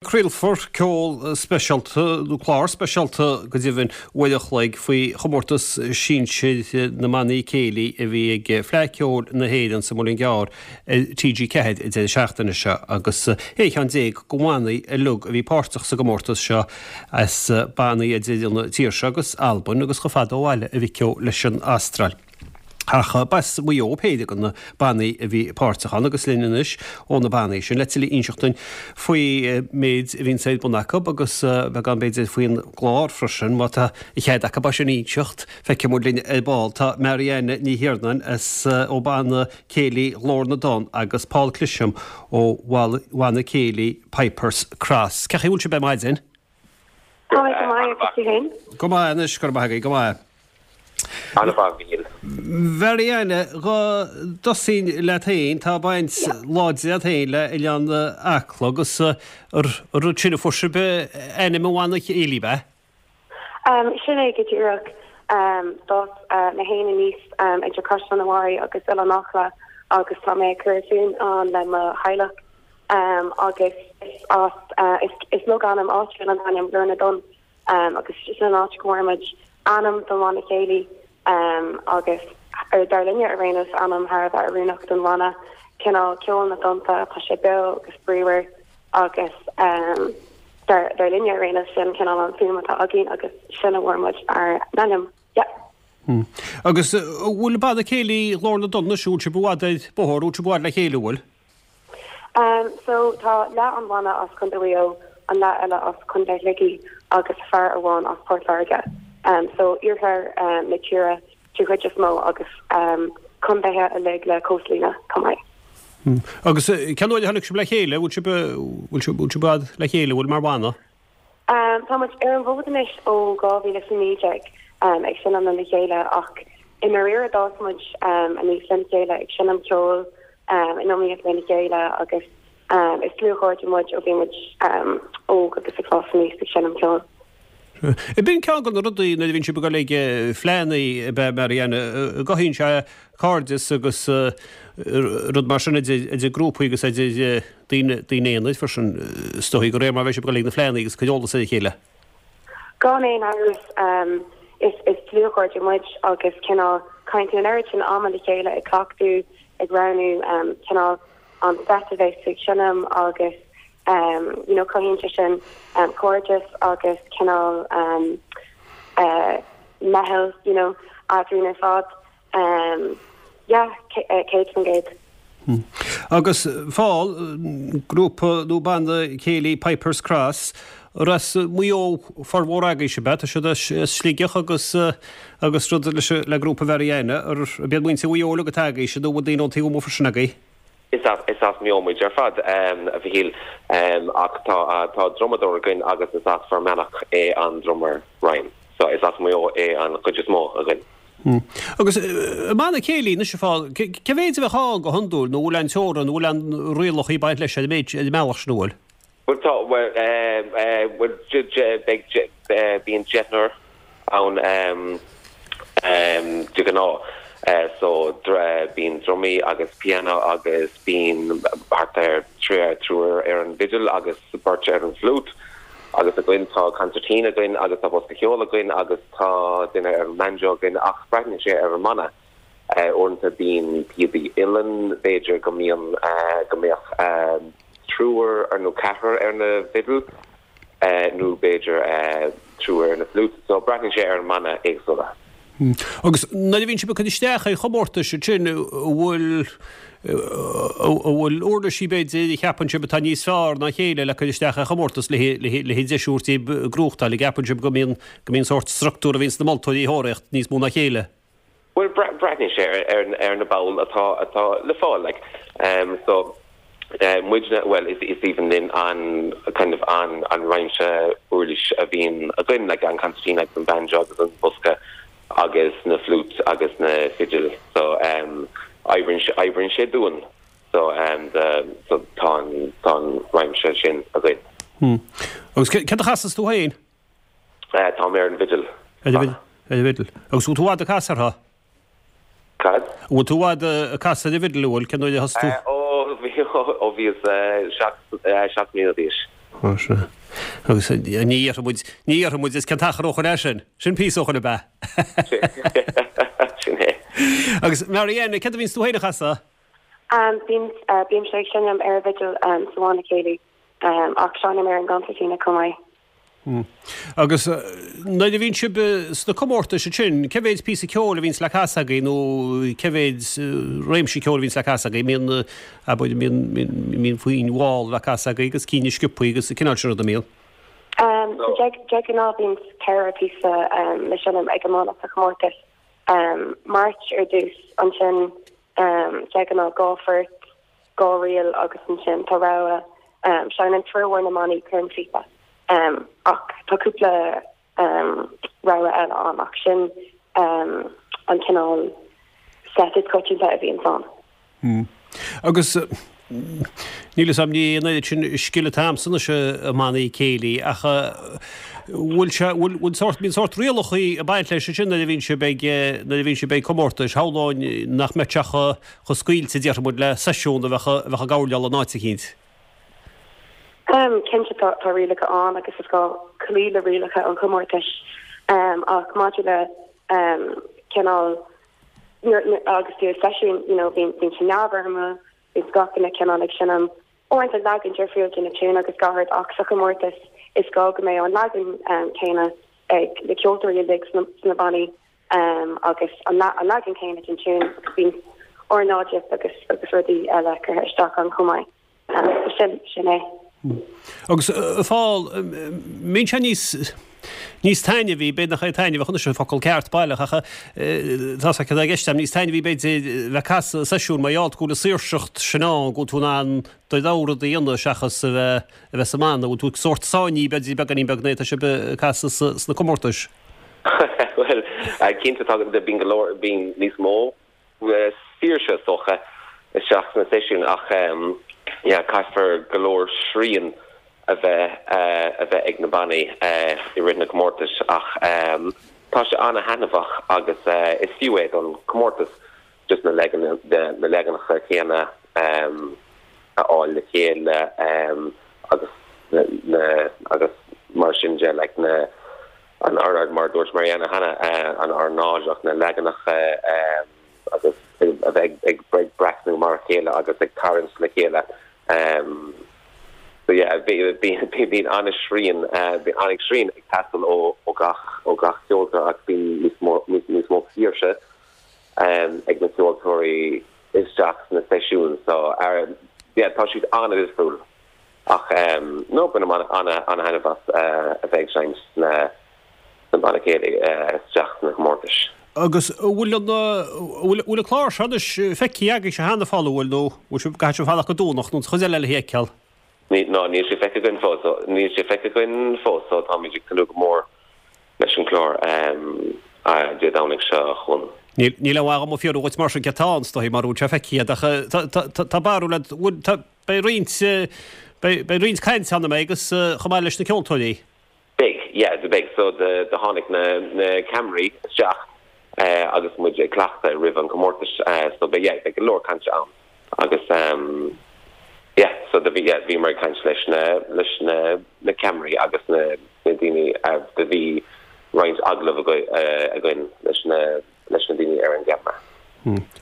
Craolfar ceol speisialta, nó clár speisialta go deimhin, uair an chloig faoi chomórtas sinsir na mbannaí céilí a bhí ag Fleadh Cheoil na hÉireann sa Muileann gCearr ar TG4 an deireadh seachtaine seo agus 16 cheann de bhannaí uilig a bhí páirteach sa gcomórtas seo as bannaí idir an tír seo agus Albain agus chomh fada ó bhaile a Mhic Ó leis an Astráil. Ach b'as Maigh Eo péire de na bannaí a bhí páirteach ann agus linn anois ó na bannaí sin le tuilleadh a inseacht dúinn faoi méid a bhíonns ar bun acu agus beagán b'fhéidir faoin gclár freisin má tá a chead acu é sin a inseacht. Feicfidh muid linn ar ball. Tá Marianne Ní Thiarnáin as ó Bhanna Céilí Ghlór na dTonn agus Paul Clisham ó Bhanna Céilí Pipers Cross. Cén chaoi a bhfuil sibh ar maidin? Tá mé go maith agus tú féin? Go maith anois, go raibh maith agaibh, go maith. An-mhaith, Mhichíl. Marianne, dhá dtosóinn leat féin, tá baint láidir agat féin le Oileán Acla agus an rud sin a fuair sibh ainm an bhanna céilí, ab ea? Sin é go díreach. D'fhás mé féin aníos idir Caisleán an Bharraigh agus Oileán Acla agus tá mé ag cur fúm ann le mo theaghlach. Agus is as, is logainm áitiúil an t-ainm Glór na dTonn agus sin an áit go bhfuair muid ainm don bhanna céilí agus dar linne ar aon nós ainm thar a bheith oiriúnach don bhanna, cineál ceol na dtonnta, tá sé beo agus bríomhar agus dar linne ar aon nós sin cineál an fuaim atá againn agus sin a bhfuair muid ár n-ainm. Yeah. Agus an bhfuil banna céilí Ghlór na dTonn anois, an bhfuil sibh i bhfad ar bóthar, an bhfuil sibh i bhfad le chéile, an bhfuil? So tá leath an bhanna as Contae Mhaigh Eo, an leath eile as Contae Shligigh agus fear amháin as Port Láirge. So iarthar na tíre den chuid is mó agus contaetha uilig le cóstlíne chomh maith. Agus cén uair a tháinig sibh le chéile? Bhfuil sibh, bhfuil sibh, bhfuil sibh i bhfad le chéile, bhfuil mar bhanna? Tá muid ar an bhfód anois ó 2019 ag seinm lena chéile ach i ndáiríre d'fhás muid aníos lena chéile ag seinm ceoil in iomaíocht lena chéile agus is dlúthchairde muid ó bhí muid óg agus ag fás aníos ag seinm ceoil. B'in ceann de na rudaí nuair a bhíonn sibh ag dul ag fleadhanna ab ea Marianne, an gcothaíonn sé cairdeas agus rud mar sin idir grúpaí agus idir daoine aonair freisin, is dóigh, de réir mar a bheidh sibh ag dul ag na fleadhanna agus ag cur eolas ar a chéile. Gan aon amhras, is dlúthchairde muid agus cineál caitheann tú an oiread sin ama le chéile ag cleachtadh, ag roghnú cineál an set a bheas tú ag seinm agus you know cothaíonn sé sin cairdeas agus cineál meitheal you know eadrainn ar fad. Yeah, 100%. Agus Paul, grúpa nó banna céilí Pipers Cross, as Maigh Eo formhór agaibhse, ab ea? Tá siad as Sligeach agus agus rud leis le grúpa Mharianne, ab iad muintir Mhaigh Eo uilig atá agaibhse nó bhfuil daoine ón taobh amuigh freisin agaibh? Is as Maigh Eo muid ar fad, a Mhichíl, ach tá tá drumadóir againn agus is as Fear Manach é an drummer Ryan. So is as Maigh Eo é an chuid is mó againn. Agus i mbanna céilí anois, a Phóil, cé mhéid a bheadh ann go hiondúil, nó bhfuil aon teorainn, nó bhfuil aon rialacha ag baint leis ar an méid, ar an mbealach sin, an bhfuil? Bhuel tá, bhuel, bhuel, beidh, bíonn deichniúr ann de ghnáth. So bíonn drumaí agus piano agus bíonn thart ar triúr ar an bhfidil agus beirt ar an bhfliúit. Agus againn tá concertina againn agus tá bosca ceoil againn agus tá duine ar an mbanjo againn ach braitheann sé ar an mbanna. Uaireanta bíonn píobaí uilleann, b'fhéidir go mbíonn, go mbeadh triúr nó ceathrar ar na bhfidil nó b'fhéidir triúr ar na fliúit. So braitheann sé ar an mbanna éagsúla. Agus nuair a bhíonn sibh ag cur isteach ar chomórtais ansin, an bhfuil, an bhfuil uirlisí b'fhéidir a cheapann sibh atá níos fearr ná a chéile le cur isteach ar chomórtas le le deis a thabhairt daoibh gnóthachtáil, an gceapann sibh go mbíonn, go mbíonn sórt structúr a bhíonn sna moltóirí a thóraíocht níos mó ná a chéile? Bhuel, breathnaíonn sé ar na baill atá, atá le fáil, like. So, muidne, bhuel, is aoibhinn linn an kind of an an réimse uirlis a bhíonn againn, like an concertina agus an banjo agus an bosca agus na flutes agus na fidil. So, oibríonn sé, oibríonn sé dúinn. So, so tá an, tá an réimse sin againn. Agus céard a chasas tú féin? Tá mé ar an bhfidil. Ar an bhfidil. Agus bhfuil tú i bhfad ag casadh uirthi? Cad? Bhfuil tú i bhfad ag casadh ar an bhfidil, an bhfuil? Cén uair a thosaigh tú? Ó, bhí, ó bhíos 7 mbliana d'aois. Ó sea. Agus ní dhéarfaidh muid, ní dhéarfaidh muid is cén t-achar ó shoin é sin. Sin píosa ó shoin ab ea? Sin é. Agus Marianne, céard a bhíonns tú féin a chasadh? Bíonn, bímse ag seinm ar an bhfidil sa bhanna céilí, ach seinnim ar an gconsairtín chomh maith. Agus nuair a bhíonn sibh sna comórtais ansin, cé mhéid píosa ceoil a bhíonns le casadh agaibh nó cé mhéid réimse ceoil a bhíonns le casadh agaibh? Mbíonn, abair, mbíonn, mbíonn foinn mhall le casadh agaibh agus cinn sciobthaí agus an cineál sin ruda, mbíonn? So de ghnáth bíonn 4 píosa le seinm ag an mbanna sa chomórtas. March ar dtús, ansin de ghnáth 2 phort, 2 ríl agus ansin tá rogha, seinneann formhór na mbannaí cornphíopa ach tá cúpla rogha eile ann ach sin an cineál set is coitianta a bhíonns ann. Agus níl fhios a'm, ní an oiread sin scil atá a'msa anois i mbannaí céilí ach bhfuil sé, bhfuil, bhfuil sórt, bíonn sórt rialachaí ag baint leis ansin nuair a bhíonn sibh ag, nuair a bhíonn sibh ag comórtais, shamhlóinn nach mbeadh sé chomh, chomh scaoilte, déarfaidh muid, le seisiún a bheadh a bheadh ag gabháil in áit eicínt. Cinnte tá tá rialacha ann agus is gá cloí le rialacha an chomórtais ach maidir le cineál agus tú i seisiún you know bíonn bíonn sé neamhfhoirmiúil, bíonn gach duine cineál ag seinm uaireanta leagan difriúil de na tiúin agus gach rud ach sa chomórtas is gá go mbeidh an leagan céanna ag na ceoltóirí uilig sna bannaí. agus an leagan céanna den tiún agus bíonn ornáidíocht agus agus rudaí eile curtha isteach ann chomh maith. So sin, sin é. Agus a Phól, mbíonn sé níos, níos taitneamhaí, b'fhéidir nach é taitneamhach anois an focal ceart baileach ach tá sé i gceist agam, níos taitneamhaí b'fhéidir bheith ag casadh i seisiún mar gheall go bhfuil an saoirseacht sin ann, go bhfuil tú in ann do rogha rud a dhéanamh seachas a bheith, a bheith sa mbanna, bhfuil tú sórt sáinnithe b'fhéidir beagáinín beag nuair atá sibh ag casadh sna comórtais. Bhuel, cinnte tá, bíonn go leor, bíonn níos mó saoirse is dócha isteach sna seisiúin ach yeah caithfear go leor srian a bheith a bheith ag na bannaí i rith na comórtais ach tá sé an-thaitneamhach agus is fiú é don comórtas just na na leaganacha céanna a fháil le chéile agus na agus mar sin de like na an ornáid mar a dúirt Marianne cheana an ornáideacht na leaganacha agus a bheith ag ag breathnú mar a chéile agus ag tarraingt le chéile so yeah bíonn an-srian bíonn an-srian ag teastáil ó ó gach ó gach ceoltóir ach bíonn níos mó níos mó saoirse ag na ceoltóirí isteach sna seisiúin so yeah tá siad an-difriúil ach no bainim an-thaitneamh as a bheith ag seinnt sna sna banna céilí isteach sna comórtais. Agus an bhfuil an bhfuil bhfuil an clár seo anois feicthe agaibhse cheana a Phóil an bhfuil nó bhfuil sibh caithfidh sibh fanacht go Domhnach nó an chuid eile le feiceáil? No níl sé feicthe againn fós so níl sé feicthe againn fós so táimid ag tnúth go mór leis an gclár Dé Domhnaigh seo chugainn. Níl níl aon mhaith dhom a fhiafraí dhuit mar sin céard atá ann is dóigh mara bhfuil sé feicthe agat ach tá barúil agat bhfuil tá beidh roinnt beidh beidh roinnt cainte ann an mbeidh agus chomh maith leis na ceoltóirí. Beidh, yeah, beidh. So do tháinig na na ceamaraí isteach agus muid ag cleachtadh roimh an comórtas so beidh, yeah, beidh go leor cainte ann agus yeah, so do bhí, yeah, bhíomar ag caint leis na leis na na ceamaraí agus na na daoine do bhí roinnt agallamh againn leis na leis na daoine ar an gceamara.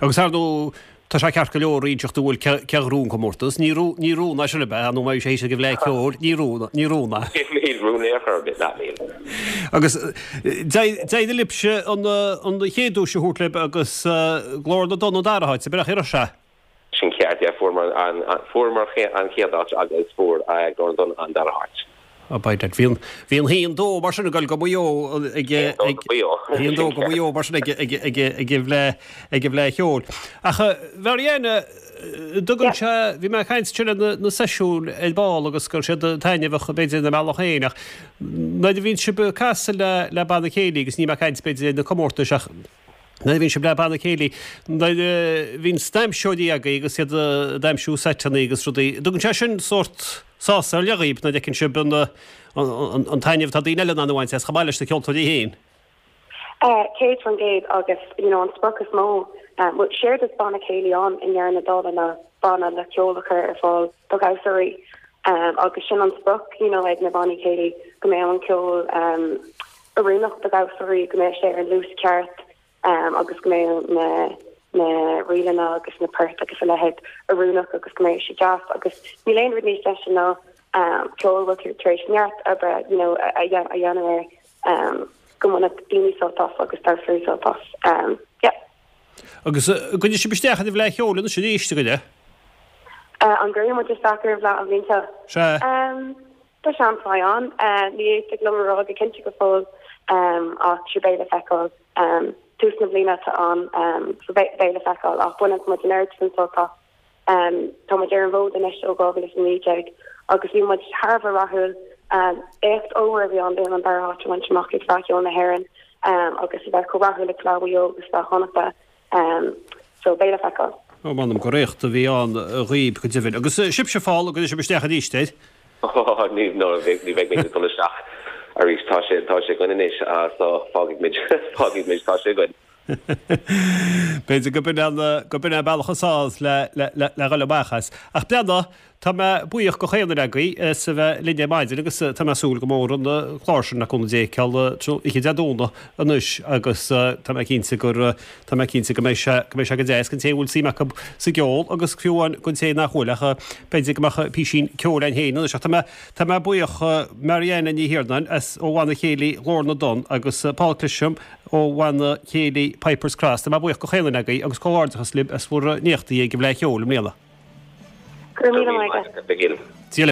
Agus ar ndóigh, tá sé ceart go leor inseacht an bhfuil cé ghnóthaigh an comórtas. Ní rún, ní rún é sin ab ea, nó má bhí sé thíos ag an bhFleadh Ceoil, ní rún, ní rún é. Níl rún ar chor ar bith, ná níl. Agus d'éirigh libhse an, an chéad duais a thabhairt libh agus Glór na dTonn an dara háit, ab ea, raibh sé? Sin ceart, yeah, fuaireamar an, fuaireamar an chéad áit agus fuair Glór na dTonn an dara háit. Oh by dad, bhí an, bhí an haon dó mar sin ag dul go Maigh Eo ag, ag, haon dó go Maigh Eo mar sin ag, ag, ag, ag an bhFleadh, ag an bhFleadh Cheoil. Ach Marianne, dtugann sé, bhí mé ag caint ansin ar na, na seisiúin ar ball agus go raibh siad taitneamhach b'fhéidir ina mbealach féin ach nuair a bhíonn sibh ag casadh le, le banna céilí agus níl mé ag caint b'fhéidir ar na comórtais ach Nuair a bhíonn sibh le banna céilí, nuair a bhíonn d'aimseoirí agaibh agus iad ag aimsiú seiteanna agus rudaí, dtugann sé sin sórt sásamh ar leith dhaoibh nuair a fheiceann sibh an an taitneamh atá daoine eile in ann a bhaint as chomh maith leis na ceoltóirí féin? 100% agus you know an sprioc is mó, bhuel séard is banna céilí ann i ndeireadh na dála ná banna le ceol a chur ar fáil do dhamhsóirí. Agus sin an sprioc you know ag na bannaí céilí go mbeadh an ceol oiriúnach do dhamhsóirí, go mbeadh sé ar an luas ceart agus go mbeadh na na ríleanna agus na poirt agus a leithéid oiriúnach agus go mbeadh sé deas agus níl aon rud níos deise ná ceol a bhfuil tú tar éis neart oibre you know a dhéanamh air go mbainfeadh daoine sult as agus damhsóirí sult as. Yeah. Agus an gcuirfidh sibh isteach ar an bhFleadh Cheoil anois arís, an gcuirfidh? An gcuirfidh muid isteach ar an bhFleadh an bhliain seo? Sea. Tá seans maith ann. Ní thig liom a rá go cinnte go fóill ach sure beidh le feiceáil. Tús na bliana atá ann so beidh le feiceáil ach baineann muid an oiread sin sult as. Tá muid ar an bhfód anois ó 2019 agus bhí muid thar a bheith rathúil. Éacht ollmhór a bhí ann dúinn an dara háit a bhaint amach ag Fleadh Cheoil na hÉireann agus a bheith chomh rathúil ag Fleadh Mhaigh Eo agus Fleadh Chonnachta. So beidh le feiceáil. Ó, m'anam gur éacht a bhí ann dhaoib, go deimhin. Agus sibhse, Phól, an gcuirfidh sibh isteach arís air? Ó, ní, no, ní bheidh muid ag dul isteach arís. Tá sé, tá sé againn anois, so fágfaidh muid, fágfaidh muid, tá sé againn. B'fhéidir go b'in an, go b'in an bealach is fearr le, le, le, le dhul amach as. Ach breathnaigh, tá mé buíoch go chaon duine agaibh as a bheith linn ar maidin agus tá mé ag súil go mór an clár sin le cúnamh Dé a fheiceáil oíche Dé Domhnaigh anois agus tá mé cinnte gur, tá mé cinnte go mbeidh sé, go mbeidh sé go deas don té a bhfuil suim acu sa gceol agus fiú amháin don té nach bhfuil ach b'fhéidir go mbeadh písín ceoil ann féin anois ach tá mé, tá mé buíoch Marianna Ní Thiarnáin as ó Bhanna Céilí Ghlór na dTonn agus Paul Clisham Ó Bhanna Céilí Pipers Cross. Tá mé buíoch go chaon duine agaibh agus comhghairdeachas libh as bhur n-éachtaí ag an bhFleadh Cheoil i mbliana. Go raibh míle maith agat.